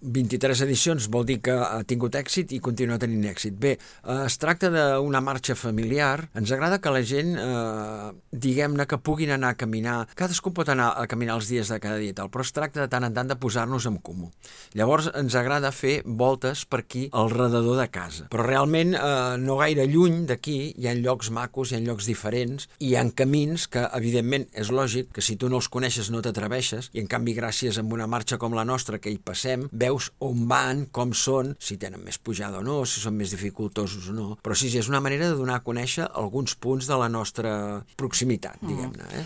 23 edicions vol dir que ha tingut èxit i continua tenint èxit. Bé, es tracta d'una marxa familiar. Ens agrada que la gent, diguem-ne, que puguin anar a caminar. Cadascú pot anar a caminar els dies de cada dia i tal, però es tracta de tant en tant de posar-nos en comú. Llavors ens agrada fer voltes per aquí al redador de casa. Però realment no gaire lluny d'aquí hi ha llocs macos, hi ha llocs diferents, i hi ha camins que, evidentment, és lògic que si tu no els coneixes no t'atreveixes, i en canvi gràcies a una marxa com la nostra que hi passem, veus on van, com són, si tenen més pujada o no, si són més dificultosos o no. Però sí, és una manera de donar a conèixer alguns punts de la nostra proximitat, diguem-ne.